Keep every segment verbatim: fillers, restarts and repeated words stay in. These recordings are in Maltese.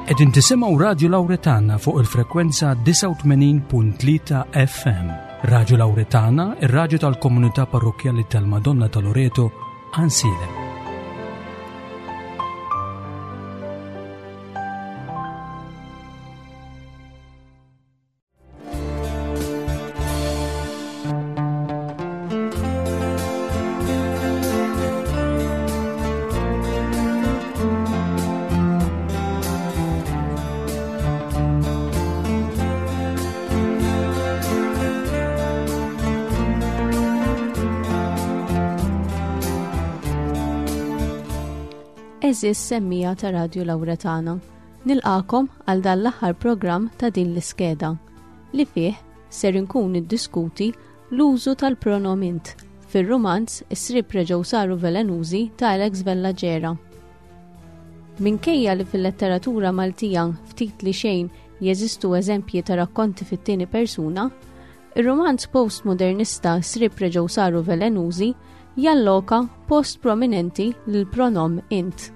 Qegħdin tisimgħu Radio Lauretana fuq il-frekwenza disgħa u tmenin punt tlieta F M. Radio Lauretana, ir-radju tal-Komunità Parrokkjali tal-Madonna ta' Loreto, Għajnsielem. Għeżież semmiegħa ta' Radio Lauretana, nilqagħkom għal dan l-aħħar programm ta' din l-iskeda li fih ser inkun niddiskuti l-użu tal-pronom int fir-rumanz Is-Sriep Reġgħu Saru Velenużi ta' Alex Vella Gera. Minkejja li fil-letteratura Maltija ftit li xejn jeżistu eżempji ta' rakkonti fit-tieni persuna, ir-romanz postmodernista Sriep Reġgħu Saru Velenużi jalloka post prominenti lil pronom int.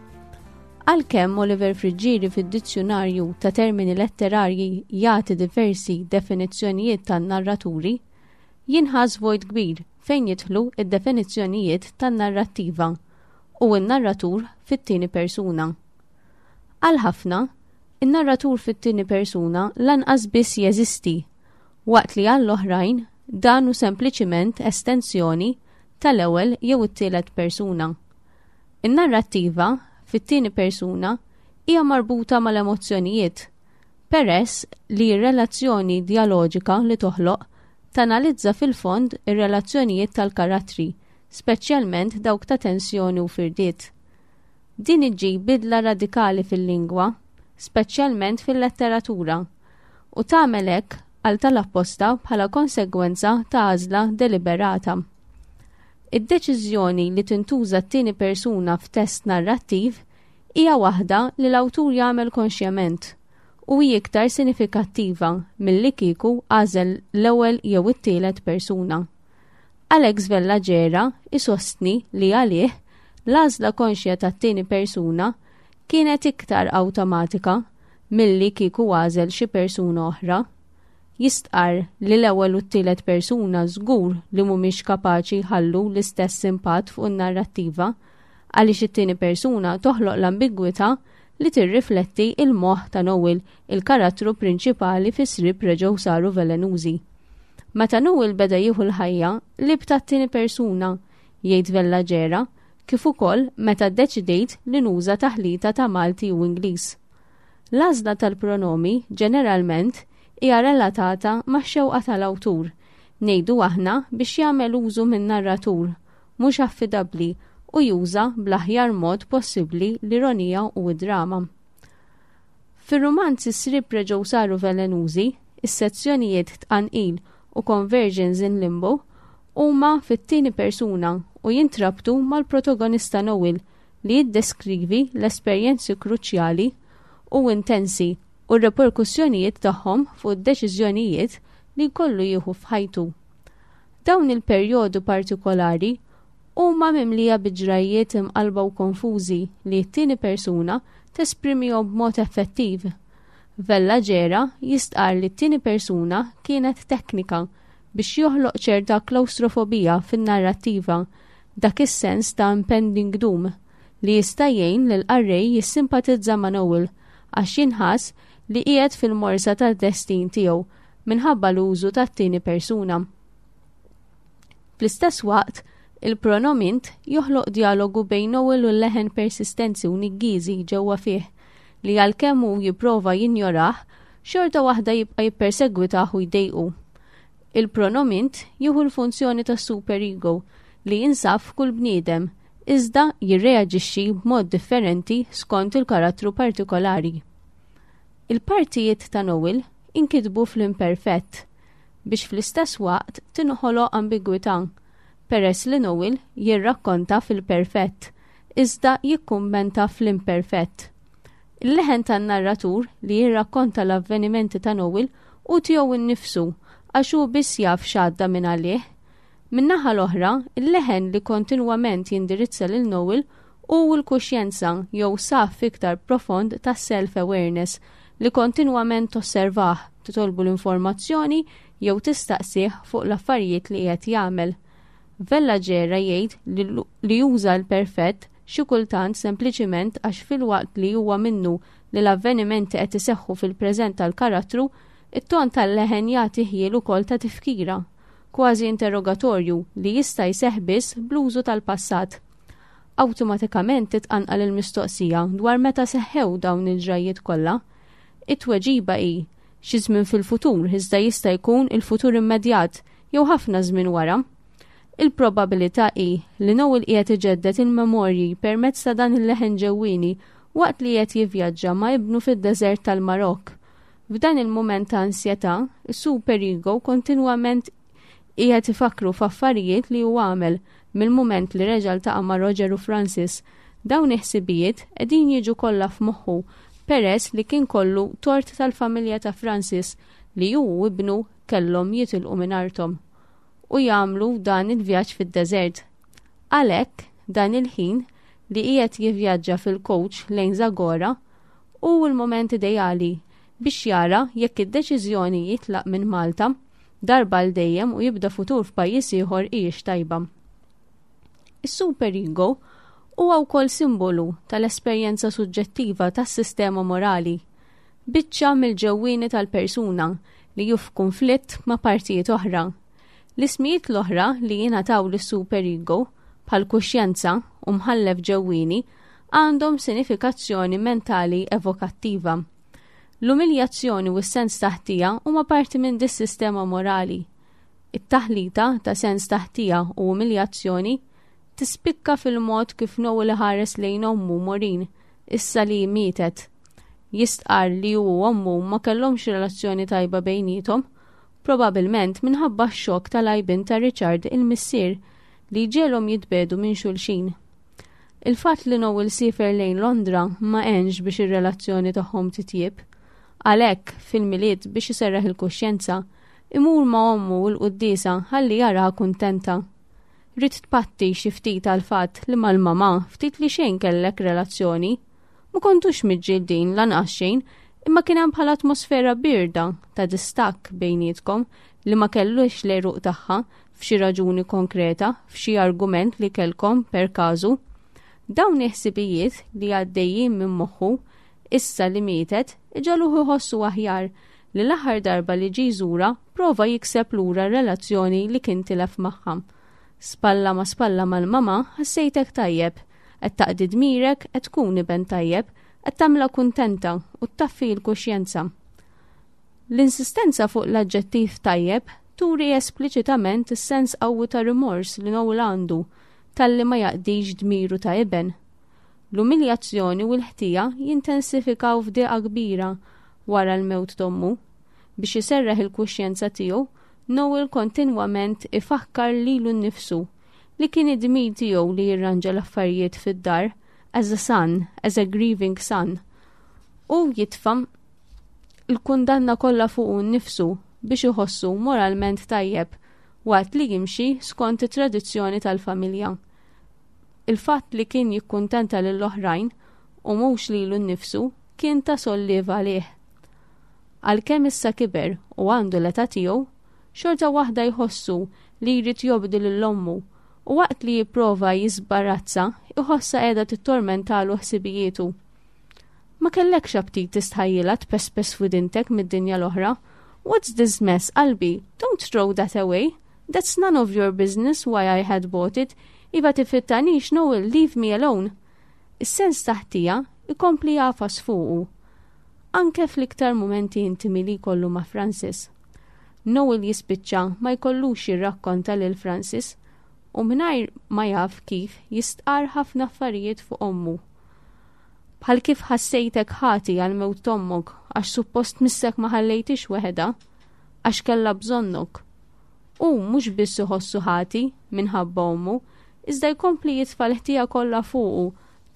Għalkemm Oliver Friggieri fid-dizzjunarju ta' termini letterarji jagħti diversi definizzjonijiet tan-narraturi, jinħass vojt kbir fejn jidħlu id-definizzjonijiet tan-narrattiva u n-narratur fit-tieni persuna. Għal ħafna, in-narratur fit-tieni persuna lanqas biss jeżisti, waqt li għall-oħrajn dan hu sempliċiment estensjoni tal-ewwel jew it-tielet persuna. In-narrattiva fit-tieni persuna hija marbuta mal-emozzjonijiet, peress li r-relazzjoni dialoġika li toħloq tanalizza fil-fond ir-relazzjonijiet tal-karattri, speċjalment dawk ta' tensjoni u firdiet. Din iġġib bidla radikali fil-lingwa, speċjalment fil-letteratura, u tagħmel hekk għal tal-apposta bħala konsegwenza ta' għażla deliberata. Id-deċiżjoni li tintuża t-tieni persuna f'test narrattiv hija waħda li l-awtur jagħmel konxjament u hi iktar sinifikattiva milli kieku għażel l-ewwel jew it-tielet persuna. Alex Vella Gera isostni li għalih l-għażla konxja tat-tieni persuna kienet iktar awtomatika milli kieku għażel xi persuna oħra. Jistqar li l-ewwel u t-tielet persuna żgur li mhumiex kapaċi jħallu l-istess impatt fuq in-narrattiva, għaliex it-tieni persuna toħloq l-ambigwità li tirrifletti il-moħħ ta' Noel, il-karattru prinċipali fi Sriep Reġgħu Saru Velenużi. Meta Noel beda jieħu l-ħajja, qlibt għat-tieni persuna, jgħid Vella Gera, kif ukoll meta ddeċidejt li nuża taħlita ta' Malti u Ingliż. L-għażla tal-pronomi ġeneralment hija relatata ma' xewqa tal-awtur, ngħidu aħna biex jagħmel użu minn narratur mhux affidabbli u juża bl-aħjar mod possibbli l-ironija u d-drama. Fir-romanzi Sriep Reġgħu Saru Velenużi, is-sezzjonijiet Tqanqil u Conversions in Limbo huma fit-tieni persuna u jintrabtu mal-protagonista Noel li jiddeskrivi l-esperjenzi kruċjali u intensi u r-reperkussjonijiet tagħhom fuq id-deċiżjonijiet li jkollu jieħu f'ħajtu. Dawn il-perjodu partikolari huma mimlija bi ġrajjiet imqalba u konfużi li t-tieni persuna tesprimihom b'mod effettiv. Vella Gera jistqar li t-tieni persuna kienet teknika biex joħloq ċerta klaustrofobija fin-narrattiva, dak is-sens ta' impending doom li jista' jgħin lil qarrej jissimpatizza ma' Noel għax jinħass li qiegħed fil-morsa tad-destin tiegħu minħabba l-użu tat-tieni persuna. Fl-istess waqt, il-pronom int joħloq dialogu bejn Noel u l-leħen persistenti u niggiżi ġewwa fih li għalkemm hu jipprova jinjorah, xorta waħda jibqa' jippersegwitah u jdejqu. Il-pronom int jieħu l-funzjoni ta' superego li jinsab f'kull bniedem, iżda jirreaġixxi b'mod differenti skont il-karattru partikolari. Il-partijiet ta' Noel inkitbu fl-imperfett biex fl-istess waqt tinħoloq ambigwità, peress li Noel jirrakkonta fil-perfett, iżda jikkummenta fl-imperfett. Il-leħen tan-narratur li jirrakkonta l-avvenimenti ta' Noel hu tiegħu innifsu għax hu biss jaf x'għadda minn għalih. Min-naħa l-oħra, il-leħen li kontinwament jindirizza lil Noel u l-kuxjenza jew saf iktar profond ta' self-awareness li kontinwament tosservah, titolbu l-informazzjoni jew tistaqsih fuq l-affarijiet li qiegħed jagħmel. Vella Gera jgħid li juża l-perfett xi kultant sempliċiment għax filwaqt li huwa minnu li l-avvenimenti qed iseħħu fil-preżent tal-karattru, it-ton tal-leħen jagħti ħjiel ukoll ta' tifkira, kważi interrogatorju li jista' jseħħ biss bl-użu tal-passat. Awtomatikament titqanqal il-mistoqsija dwar meta seħħew dawn il-ġrajiet kollha. It-tweġiba hi xi żmien fil-futur iżda jista' jkun il-futur immedjat jew ħafna żmien wara. Il-probabilità hi li Noel qiegħed iġedded il-memorji permezz ta' dan il-leħen ġewwieni waqt li qed jivvjaġġa ma' ibnu fid-deżert tal-Marokk. F'dan il-mument ta' ansjetà, is-super ego kontinwament qiegħed ifakru f'affarijiet li hu għamel mill-mument li reġa' ltaqa' ma' Roger u Francis. Dawn il-ħsibijiet qegħdin jiġu kollha f'moħħu peress li kien kollu tort tal-familja ta' Francis li hu u ibnu kellhom jitilqu minn arthom u jagħmlu dan il-vjaġġ fid-deżert. Għalhekk dan il-ħin li qiegħed jivvjaġġa fil-coach lejn Zagora hu l-moment ideali biex jara jekk id-deċiżjoni jitlaq minn Malta darba għal dejjem u jibda futur f'pajjiż ieħor hijiex tajba. Is-super ego huwa wkoll simbolu tal-esperjenza suġġettiva tas-sistema morali, biċċa mill-ġewwieni tal-persuna li hu f'kunflitt ma' partijiet oħra. L-ismijiet l-oħra li jingħataw lis-super ego bħal kuxjenza u mħallef ġewwieni għandhom sinifikazzjoni mentali evokattiva. L-umiljazzjoni u s-sens ta' ħtija huma parti minn dis-sistema morali. It-taħlita ta' sens ta' ħtija u umiljazzjoni tispikka fil-mod kif Noel ħares lejn ommu Maureen issa li mietet. Jistqar li hu u ommu ma kellhomx relazzjoni tajba bejniethom, probabilment minħabba x-xokk tal-għajbien ta' Richard il-missier li ġegħelhom jitbiegħdu minn xulxin. Il-fatt li Noel siefer lejn Londra ma għenx biex ir-relazzjoni tagħhom titjib. Għalhekk fil-Milied biex iserraħ il-kuxjenza, imur ma' ommu u l-quddiesa ħalli jaraha kuntenta. Ridt tpatti xi ftit għal-fatt li mal-mama ftit li xejn kellek relazzjoni. Ma kontux miġġieldin lanqas xejn, imma kien hemm bħala atmosfera birda ta' distakk bejnietkom li ma kellux l-għeruq tagħha f'xi raġuni konkreta, f'xi argument li kellkom per każu. Dawn il-ħsibijiet li għaddejjin minn moħħu issa li mietet iġegħluh iħossu aħjar li l-aħħar darba li ġie jżurha prova jikseb lura relazzjoni li kien tilef magħha. Spalla ma spalla mal-mama ħassejtek tajjeb, qed taqdi dmirek, qed tkun iben tajjeb, qed tagħmilha kuntenta u ttaffi l-kuxjenza. L-insistenza fuq l-aġġettiv tajjeb turi espliċitament is-sens qawwi ta' rimors li Noel għandu talli ma jaqdix dmiru ta' iben. L-umiljazzjoni u l-ħtija jintensifikaw f'diqa kbira wara l-mewt t'ommu. Biex iserraħ il-kuxjenza tiegħu, Noel kontinwament ifakkar lilu nnifsu li kien id-dmir tiegħu li jirranġa l-affarijiet fid-dar as a son, as a grieving son. U jitfa' l-kundanna kollha fuq nnifsu biex iħossu moralment tajjeb waqt li jimxi skont it-tradizzjoni tal-familja. Il-fatt li kien jikkuntenta lill-oħrajn u mhux lilu nnifsu kien ta' solliev għalih. Għalkemm issa kiber u għandu l-età tiegħu, xorta waħda jħossu li jrid jobdi lil ommu u waqt li jipprova jisbarazza, iħossa qiegħda tittormentalu ħsibijietu. Ma kellekx aptit tistħajjilha tpespes f'widintek mid-dinja l-oħra. What's this mess, qalbi? Don't throw that away. That's none of your business why I had bought it. Iva tifittanix, Noel, leave me alone. Is-sens ta' ħtija ikompli jagħfas fuqu. Anke fl-iktar momenti intimi li jkollu ma' Francis. Noel jispiċċa ma jkollux jirrakkonta lil Francis u mingħajr ma jaf kif jistqar ħafna affarijiet fuq ommu. Bħal kif ħassejtek ħati għal mewt t'ommok għax suppost missek ma ħallejtix weħeda, għax kellha bżonnok. U mhux biss iħossu ħati minħabba ommu, iżda jkompli jitfa' l-ħtija kollha fuqu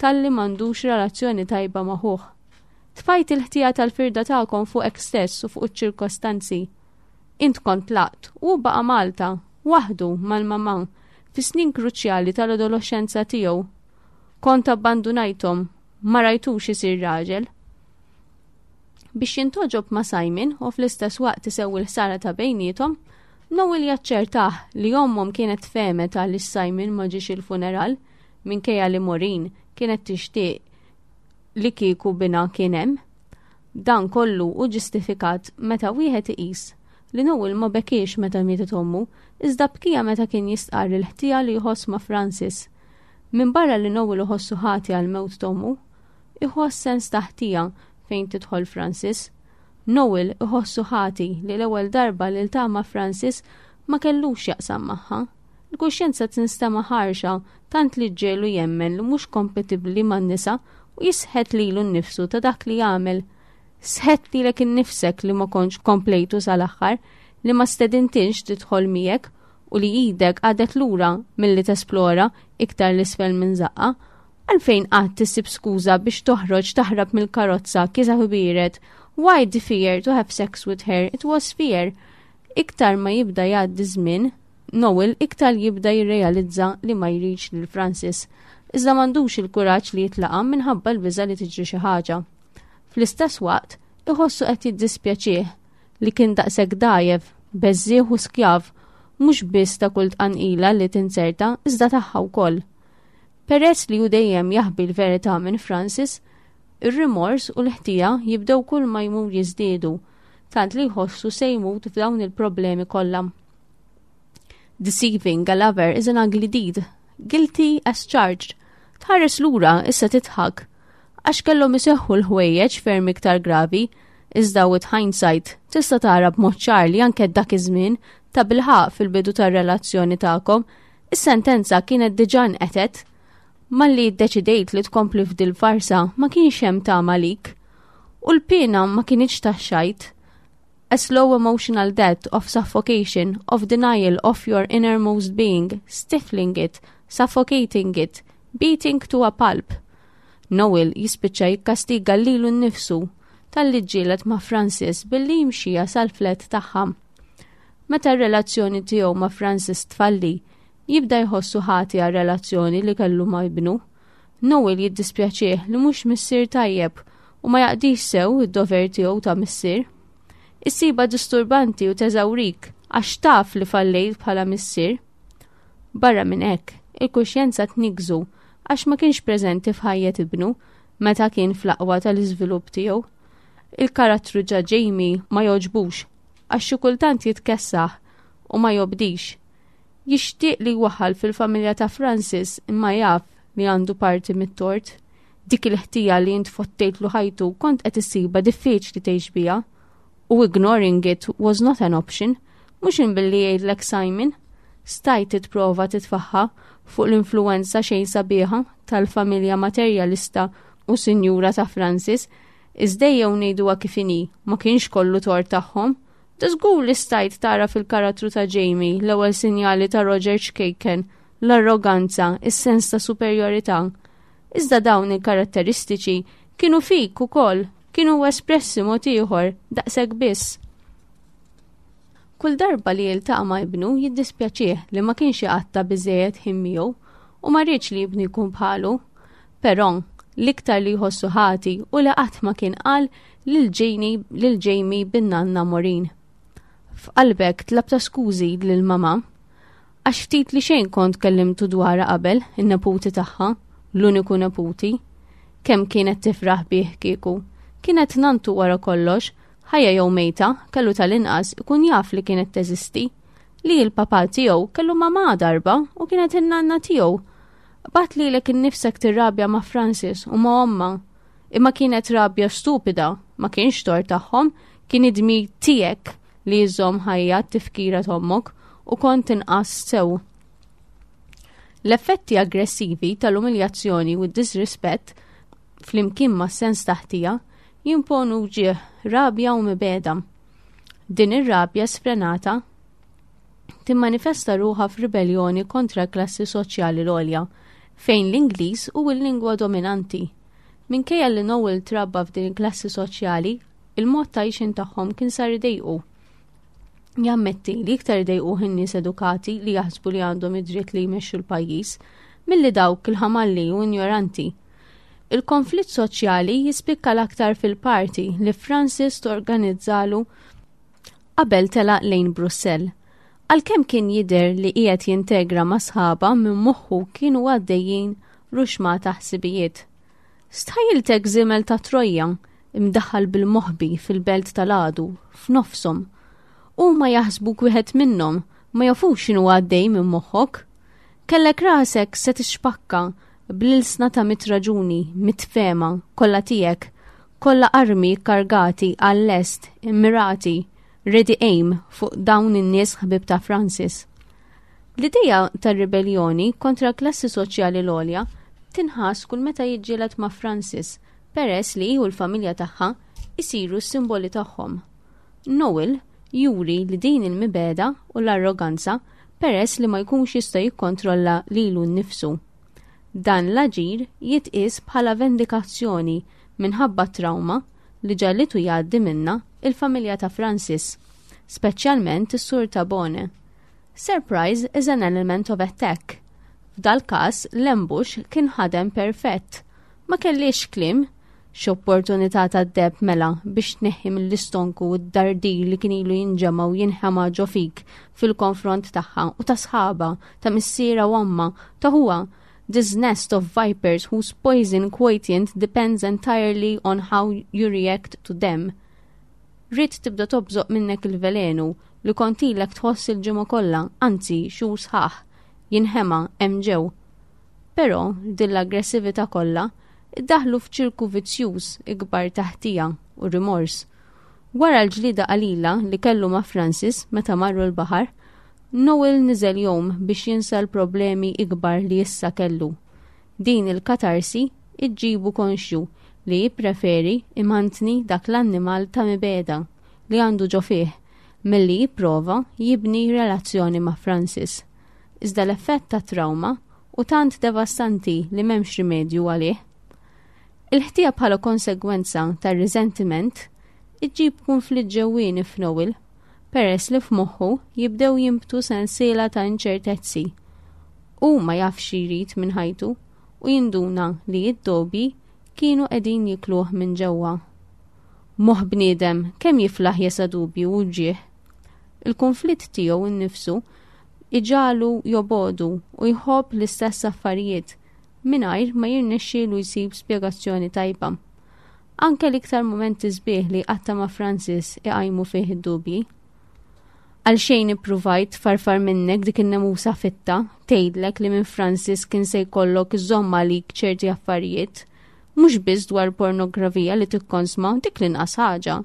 talli m'għandux relazzjoni tajba ma' ħuh. Tfajt il-ħtija tal-firda tagħkom fuqek stess u fuq iċ-ċirkostanzi. Int kont tlaqt u baqa' Malta, waħdu mal-mamà, fi snin kruċjali tal-adolescenza tiegħu. Kont abbandunajthom, ma rajtux isir raġel. Biex jintgħoġob ma' Simon u fl-istess waqt isewwi l-ħsara ta' bejniethom, Noel jaċċertah li ommhom kienet fehmet għaliex Simon ma ġiex il-funeral minkejja li Maureen kienet tixtieq li kieku binha kien hemm. Dan kollu hu ġustifikat meta wieħed iqis li Noel ma bekiex meta mietet ommu, iżda bkija meta kien jistqarr il-ħtija li jħoss ma' Francis. Min barra li Noel iħossu ħati għal mewt t'ommu, iħoss sens ta' ħtija fejn tidħol Francis. Noel iħossu ħati li l-ewwel darba li ltaqa' ma' Francis ma kellux jaqsam magħha. Il-kuxjenza tinstema' ħarxa tant li ġġiegħlu jemmen li mhux kompatibbli man-nisa u jisħet lilu nnifsu ta' dak li jagħmel. Sħet lilek innifsek li ma kontx komplejtu sal-aħħar, li ma stedintix tidħol miegħek u li idek għadet lura milli tesplora iktar l-isfel minn żaqqa. Għalfejn qatt tissib skuża biex toħroġ taħrab mill-karozza kiesaħ u biered? Why the fear to have sex with her? It was fear. Iktar ma jibda jgħaddi żmien, Noel iktar jibda jirrealizza li ma jridx lil Francis. Iżda m'għandux il-kuraġġ li jitlaqa minħabba l-biża li tiġri xi ħaġa. Fl-istess waqt, iħossu qed jiddispjaċih li kien daqshekk dgħajjef, beżżieħ u skjav, mhux biss ta' kull tqanqila li tinzerta, iżda tagħha wkoll. Peress li hu dejjem jaħbi l-verità minn Francis, ir-rimors u l-ħtija jibdew kull ma jmur jiżdiedu, tant li jħossu se jmut f'dawn il-problemi kollha. Deceiving a lover is an ugly deed. Guilty as charged. Tħares lura issa tidħak. Għax kellhom iseħħu l-ħwejjeġ ferm iktar gravi, iżda with hindsight tista' tara b'mod ċar li anke dak iż-żmien ta' bilħaq fil-bidu tar-relazzjoni tagħkom, is-sentenza kienet diġà nqetet. Malli ddeċidejt li tkompli f'dil farsa ma kienx hemm tama lik. U l-pena ma kinitx tax-xajt. A slow emotional death of suffocation, of denial of your innermost being, stifling it, suffocating it, beating to a pulp. Noel jispiċċa jikkastiga lilu nnifsu talli ġġieled ma' Francis billi jimxija sal-flat tagħha. Meta r-relazzjoni tiegħu ma' Francis tfalli, jibda jħossu ħati għal relazzjoni li kellu ma' ibnu. Noel jiddispjaċih li mhux missier tajjeb u ma jaqdix sew id-dover tiegħu ta' missier. Issibha disturbanti u teżawrik għax taf li fallejt bħala missier. Barra minn hekk, il-kuxjenza tniggżu għax ma kienx preżenti f'ħajjet ibnu meta kien fl-aqwa tal-iżvilupp tiegħu. Il-karattru ta' Jamie ma jogħġbux għax xi kultant jitkessaħ u ma jobdix. Jixtieq li waħal fil-familja ta' Francis imma jaf li għandu parti mit-tort. Dik il-ħtija li int fottejtlu ħajtu kont qed issibha diffiċli tgħix biha. U ignoring it was not an option, mhux imbilli jgħidlek Simon. Stajt titprova titfaħħa fuq l-influenza xejn sabiħa tal-familja materjalista u sinjura ta' Francis, iżda ejjew ngħiduha kif inhi, ma kienx kollu tort tagħhom. Żgur li stajt tara fil-karattru ta' Jamie l-ewwel sinjali ta' Roger ċkejken, l-arroganza, is-sens ta' superjorità. Iżda dawn il-karatteristiċi kienu fik ukoll, kienu espressi mod ieħor, daqshekk biss. Kull darba li jiltaqa' ma' ibnu jiddispjaċih li ma kienx iqatta' biżejjed ħin miegħu u ma riedx li ibnu jkun bħalu. Però l-iktar li jħossu ħati u li qatt ma kien qal lil Jamie lil Jamie bin-nanna Maureen. F'qalbek tlabtha skużi lil mama għax ftit li xejn kont kellimtu dwarha qabel in-neputi tagħha, l-uniku neputi. Kemm kienet tifraħ bih kieku. Kienet nantu wara kollox, ħajja jew mejta, kellu tal-inqas ikun jaf li kienet teżisti. Li l-papa tiegħu kellu mama darba u kienet in-nanna tiegħu. Qbadt lilek innifsek tirrabja ma' Francis u ma' omma. Imma kienet rabja stupida, ma kienx tort tagħhom, kien id-dmir tiegħek li jżomm ħajja t-tifkira t'ommok u kont inqas sew. L-effetti aggressivi tal-umiljazzjoni u d-disrispett flimkien ma' sens ta' ħtija jimponu ġieħ, rabja u mibegħda. Din ir-rabja sfrenata timmanifesta ruħha f'ribellioni kontra l-klassi soċjali l-għolja, fejn l-Ingliż hu l-lingwa dominanti. Minkejja li Noel trabba f'din il-klassi soċjali, il-mod ta' għixien tagħhom kien sar idejqu. Jammetti li iktar idejquh in-nies edukati li jaħsbu li għandhom id-dritt li jmexxu l-pajjiż. milli dawk il-ħamalli u ignoranti. Il-konflitt soċjali jispikka l-aktar fil-party li Francis torganizzalu qabel telaq lejn Brussell. Għalkemm kien jidher li qiegħed jintegra ma' sħaba, minn moħħu kienu għaddejjin ruxma ta' ħsibijiet. Stħajiltek żiemel ta' Troja imdaħħal bil-moħbi fil-belt tal-għadu, f'nofshom. Huma jaħsbuk wieħed minnhom, ma jafux x'inhu għaddej minn moħħok. Kellek rasek se tixpakka bl-ilsna ta' mitt raġuni, mitt fehma, kollha tiegħek, kollha armi kargati għal-lest, immirati, ready aim fuq dawn in-nies ħbib ta' Francis. L-ideja tar-ribellioni kontra klassi soċjali l-għolja tinħass kull meta jiġġieled ma' Francis, peress li u l-familja tagħha isiru s-simboli tagħhom. Noel juri li din il-mibegħda u l-arroganza peress li ma jkunx jista' jikkontrolla lilu nnifsu. Dan l-aġir jitqies bħala vendikazzjoni minħabba trauma li ġallitu jgħaddi minna il-familja ta' Francis, speċjalment is-Sur Tabone. Surprise is an element of attack. F'dal każ l-ambush kien ħadem perfett. Ma kellix kliem. X'opportunità ta' deheb mela biex tneħħi mill-istonku u d-dardir li kien ilu jinġema u jinħema ġo fik fil-konfront tagħha u ta' sħaba, ta' missiera u omma, ta' ħuha. This nest of vipers whose poison quotient depends entirely on how you react to them. Ridt tibda tobżoq minnek il-velenu li kont ilek tħoss il-ġimgħa kollha, anzi xhur sħaħ, jinħema hemm ġew. Però din l-aggressività kollha iddaħlu f'ċirku vizzjuż ikbar ta' ħtija u rimors. Wara l-ġlida qalila li kellu ma' Francis meta marru l-baħar, Noel niżel jom biex jinsa l-problemi ikbar li issa kellu. Din il-katarsi iġġibu konxju li jippreferi imantni dak l-annimal ta' mibegħda li għandu ġo fih milli jipprova jibni relazzjoni ma' Francis. Iżda l-effett ta' trauma hu tant devastanti li m'hemmx rimedju għalih. Il-ħtija bħala konsegwenza tar resentiment iġġib konflitt ġewwieni f'Noel, peress li f'moħħu jibdew jimbtu sensiela ta' inċertezzi. U ma jafx jrid minn ħajtu u jinduna li id-dubji kienu qegħdin jikluh minn ġewwa. Moħ bniedem kemm jiflaħ jesa dubju u ġieħ. Il-konflitt tiegħu innifsu iġagħlu jobogħdu u jħobb l-istess affarijiet mingħajr ma jirnexxielu jsib spjegazzjoni tajba. Anke l-iktar momenti sbieħ li qatta ma' Francis iqajmu fih id-dubji. Għalxejn ippruvajt farfar minnek dik in-nemusa fitta, tgħidlek li minn Francis kien se jkollok iżomm għalik ċerti affarijiet, mhux biss dwar pornografija li tikkonsma, dik l-inqas ħaġa.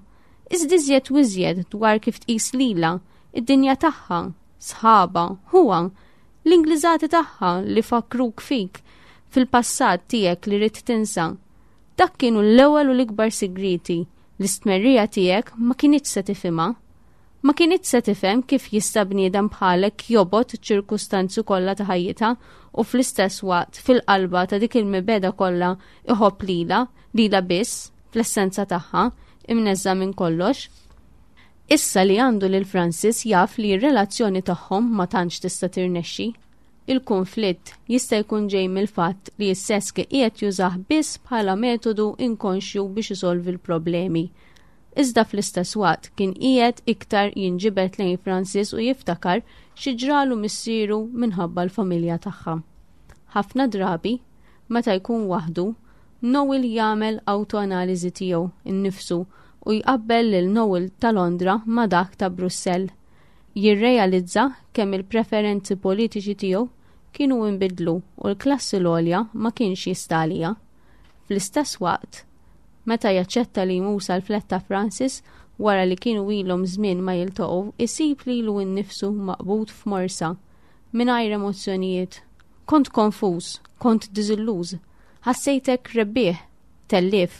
Iżda iżjed u iżjed dwar kif tqis lila, id-dinja tagħha, sħaba, ħuha, l-Ingliżati tagħha li fakruk fik fil-passat tiegħek li ridt tinsa. Dak kienu l-ewwel u l-ikbar sigriti li stmerrija tiegħek ma kinitx se tifhimha. Ma kinitx se tifhem kif jista' bniedem bħalek jobgħod ċirkustanzi kollha ta' ħajjitha u fl-istess waqt, fil-qalba ta' dik il-mibegħda kollha, iħobb lila, lila biss, fl-essenza tagħha, imneżża minn kollox. Issa li għandu lil Francis jaf li r-relazzjoni tagħhom ma tantx tista' tirnexxi. Il-konflitt jista' jkun ġej mill-fatt li s-sess qiegħed jużah biss bħala metodu inkonxju biex isolvi l-problemi. Iżda fl-istess waqt kien qiegħed iktar jinġibed lejn Francis u jiftakar xi ġralu missieru minħabba l-familja tagħha. Ħafna drabi, meta jkun waħdu, Noel jagħmel autoanaliżi tiegħu innifsu u jqabbel lil Noel ta' Londra ma' dak ta' Brussell. Jirrealizza kemm il-preferenzi politiċi tiegħu kienu inbidlu u l-klassi l-għolja ma kienx jista' għaliha. Fl-istess waqt, meta jaċċetta li jmur sal-flat ta' Francis wara li kienu ilhom żmien ma jiltaqgħu, isib lilu nnifsu maqbud f'morsa, mingħajr emozzjonijiet. Kont konfuż, kont diżilluż, ħassejtek rebbieħ, tellif,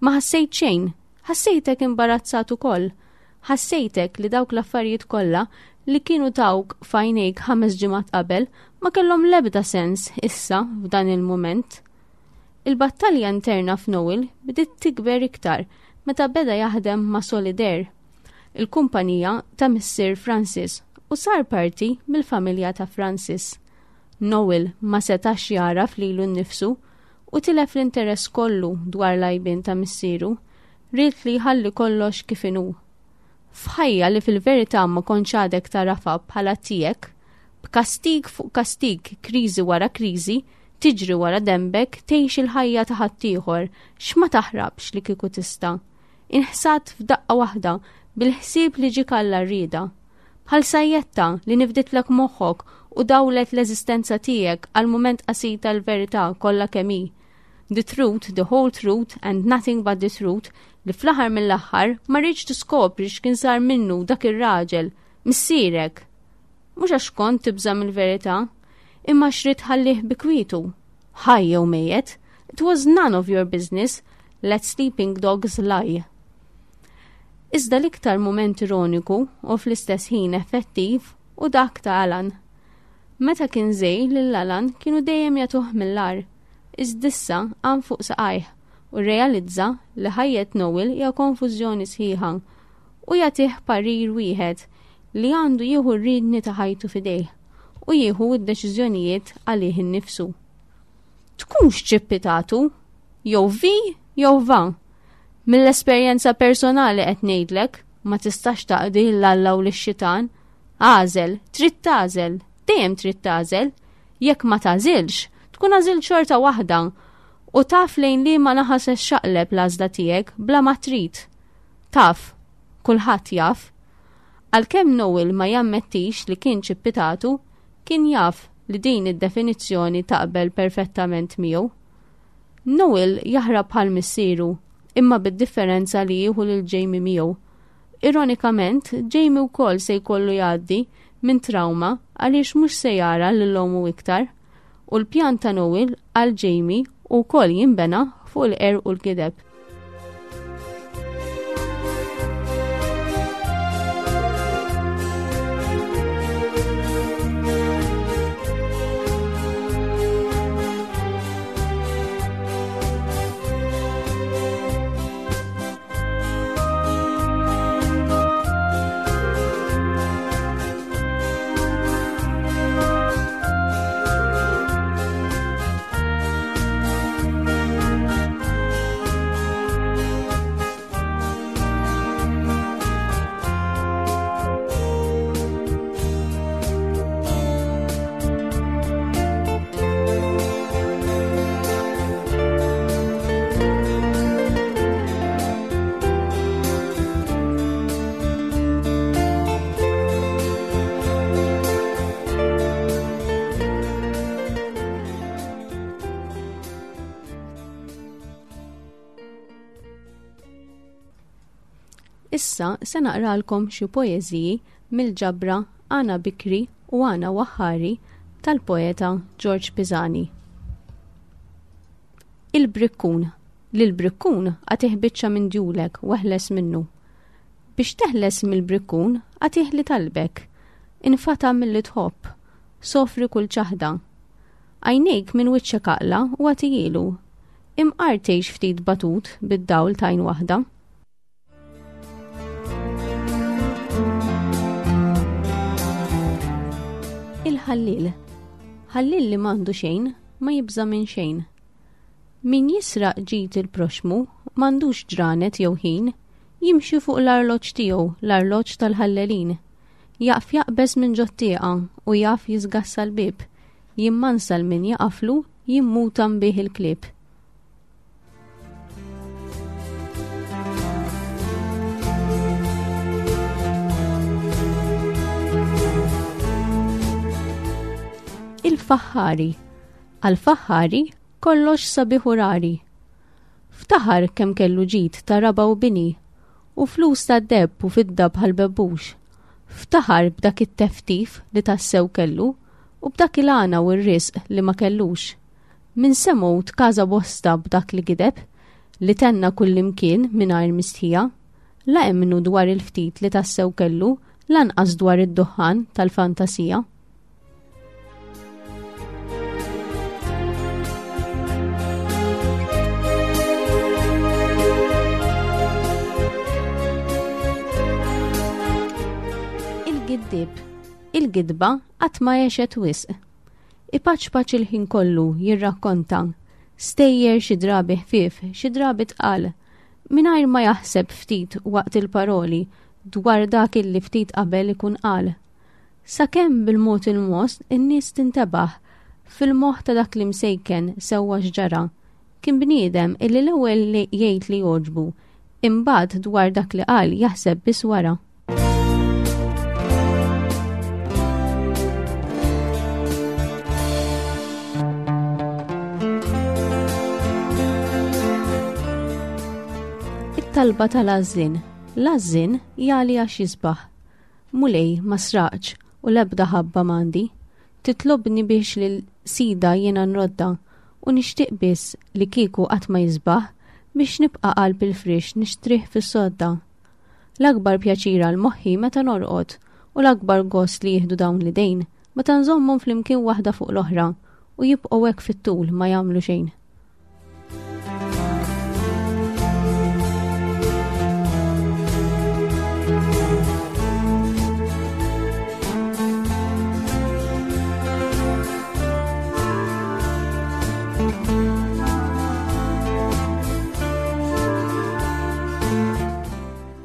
ma ħassejt xejn, ħassejtek imbarazzat ukoll, ħassejtek li dawk l-affarijiet kollha li kienu tawk f'għajnejk ħames ġimgħat qabel ma kellhom lebda sens issa f'dan il-mument. Il-battalja interna f'Noel bdiet tikber iktar meta beda jaħdem ma' Solidaire, il-kumpanija ta' Missier Francis, u sar parti mill-familja ta' Francis. Noel ma setax jagħraf lilu nnifsu u tilef l-interess kollu dwar l-għajbien ta' missieru, ried li jħalli kollox kif inhu. F'ħajja li fil-verità ma kontx għadek tagħrafha bħala tiegħek, b'kastig fuq kastig, kriżi wara kriżi, tiġri wara dembek, tgħix il-ħajja ta' ħaddieħor, x'ma taħrabx li kieku tista'. Inħsadt f'daqqa waħda bil-ħsieb li ġiek għall-għarrieda. Bħal sajjetta li nifditlek moħħok u dawlet l-eżistenza tiegħek għal mument qasir tal-verità kollha kemm hi. The truth, the whole truth and nothing but the truth li fl-aħħar mill-aħħar ma ridtx tiskopri x'kien sar minnu dak ir-raġel, missierek. Mhux għax kont tibża' mill-verità, imma x'ridt tħallih bi kwietu. Ħaj jew mejjet, it was none of your business, let sleeping dogs lie. Iżda l-iktar mument ironiku u fl-istess ħin effettiv hu dak ta' Alan. Meta kien żgħir lil Alan kienu dejjem jagħtuh mill-agħar, iżda issa qam fuq saqajh u realizza li ħajjet Noel hija konfużjoni sħiħa u jagħtih parir wieħed li għandu jieħu r-riedni ta' ħajtu f'idejh u jieħu d-deċiżjonijiet għalih innifsu. Tkunx ċippitatu, jew vi jew va. Mill-esperjenza personali qed ngħidlek, ma tistax taqdi 'l Alla u lix-xitan. Agħżel, trid tagħżel, dejjem trid tagħżel. Jekk ma tagħżilx, tkun għażilt xorta waħda u taf lejn li ma naħa se xaqleb l-għażla tiegħek bla ma trid. Taf, kulħadd jaf. Għalkemm Noel ma jammettix li kien ċippitatu, kien jaf li din id-definizzjoni taqbel perfettament miegħu. Noel jaħrab bħal missieru, imma bid-differenza li jieħu lil Jamie miegħu. Ironikament, Jamie wkoll se jkollu jgħaddi minn trauma għaliex mhux se jara lil ommu iktar. U l-pjan ta' Noel għal Jamie wkoll jinbena fuq il-qerq u l-gideb. Issa se naqralkom xi poeżiji mill-ġabra Għana Bikri u Għana Waħħari tal-poeta George Pisani. Il-Brikkun. Lil-Brikkun agħtih biċċa minn djulek u eħles minnu. Biex teħles mill-Brikkun agħtih li talbek. Infatam milli tħobb, sofri kull ċaħda. Għajnejk minn wiċċek aqla' u agħtihielu. Imqar tgħix ftit batut bid-dawl t'għajn waħda. Il-ħallil. Ħallil li m'għandu xejn ma jibża' minn xejn. Min jisraq ġid il-proxmu m'għandux ġranet jew ħin, jimxi fuq l-arloġġ tiegħu, l-arloġġ tal-ħallelin. Jaf jaqbeż minn ġot-tieqa u jaf jisgassa l-bieb, jimmansa l-min jaqaflu, jimmuta nbih il-klieb. Il-faħħari. Għal-faħħari kollox sabiħ u rari. Ftaħar kemm kellu ġid ta' raba' u bini, u flus ta' deheb u fidda bħal bebbux. Ftaħar b'dak it-teftif li tassew kellu u b'dak il-għana u r-risq li ma kellux. Min semgħu tkaża bosta b'dak li gideb, li tenna kullimkien mingħajr mistħija, la emmnu dwar il-ftit li tassew kellu, lanqas dwar id-duħħan tal-fantasija. Il-giddib. Il-gidba qatt ma għexet wisq. Ipaċpaċ il-ħin kollu jirrakkonta. Stejjer xi drabi ħfief, xi drabi tqal. Mingħajr ma jaħseb ftit waqt il-paroli dwar dak illi ftit qabel ikun qal. Sakemm bil-mod il-mod in-nies tintebaħ fil-moħħ ta' dak li msejken sewwa x'ġara. Kien bniedem illi l-ewwel li jgħid li jogħġbu, imbagħad dwar dak li qal jaħseb biss wara. It-talba tal-għażżien. L-għażżien jagħli għax jisbaħ. Mulej ma sraqx u l-ebda ħabba m'għandi. Titlobni biex lil sida jiena nrodda u nixtieq biss li kieku qatt ma jisbaħ biex nibqa' qalb il-friex nixtrih fis-sodda. L-akbar pjaċir għal moħħi meta norqod u l-akbar gost li jieħdu dawn l-idejn meta nżommhom flimkien waħda fuq l-oħra u jibqgħu hekk fit-tul ma jagħmlu xejn.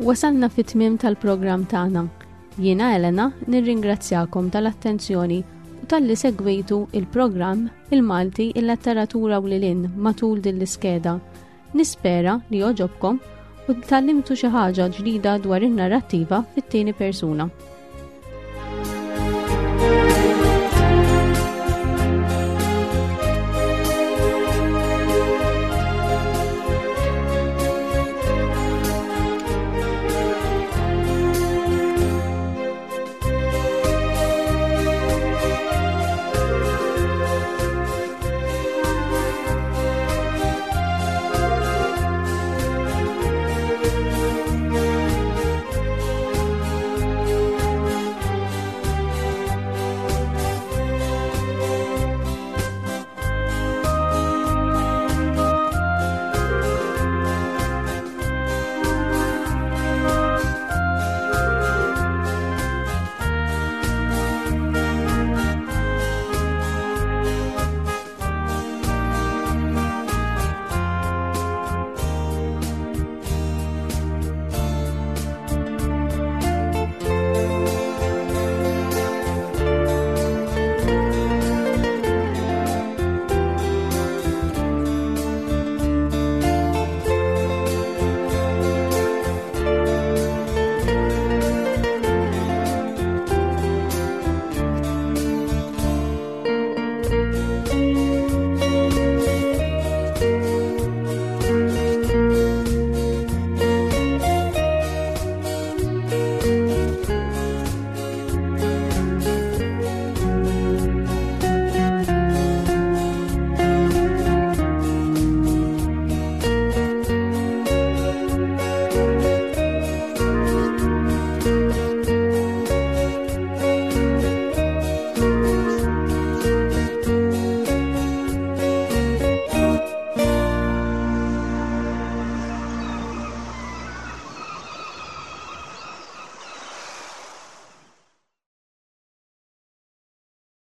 Wasalna fit-tmiem tal-programm tagħna. Jiena Elena nirringrazzjakom tal-attenzjoni u talli segwejtu il-programm Il-Malti, il-Letteratura u lil matul din l-iskeda. Nispera li għoġobkom u tgħallimtu xi ħaġa ġdida dwar in-narrattiva fit-tieni persuna.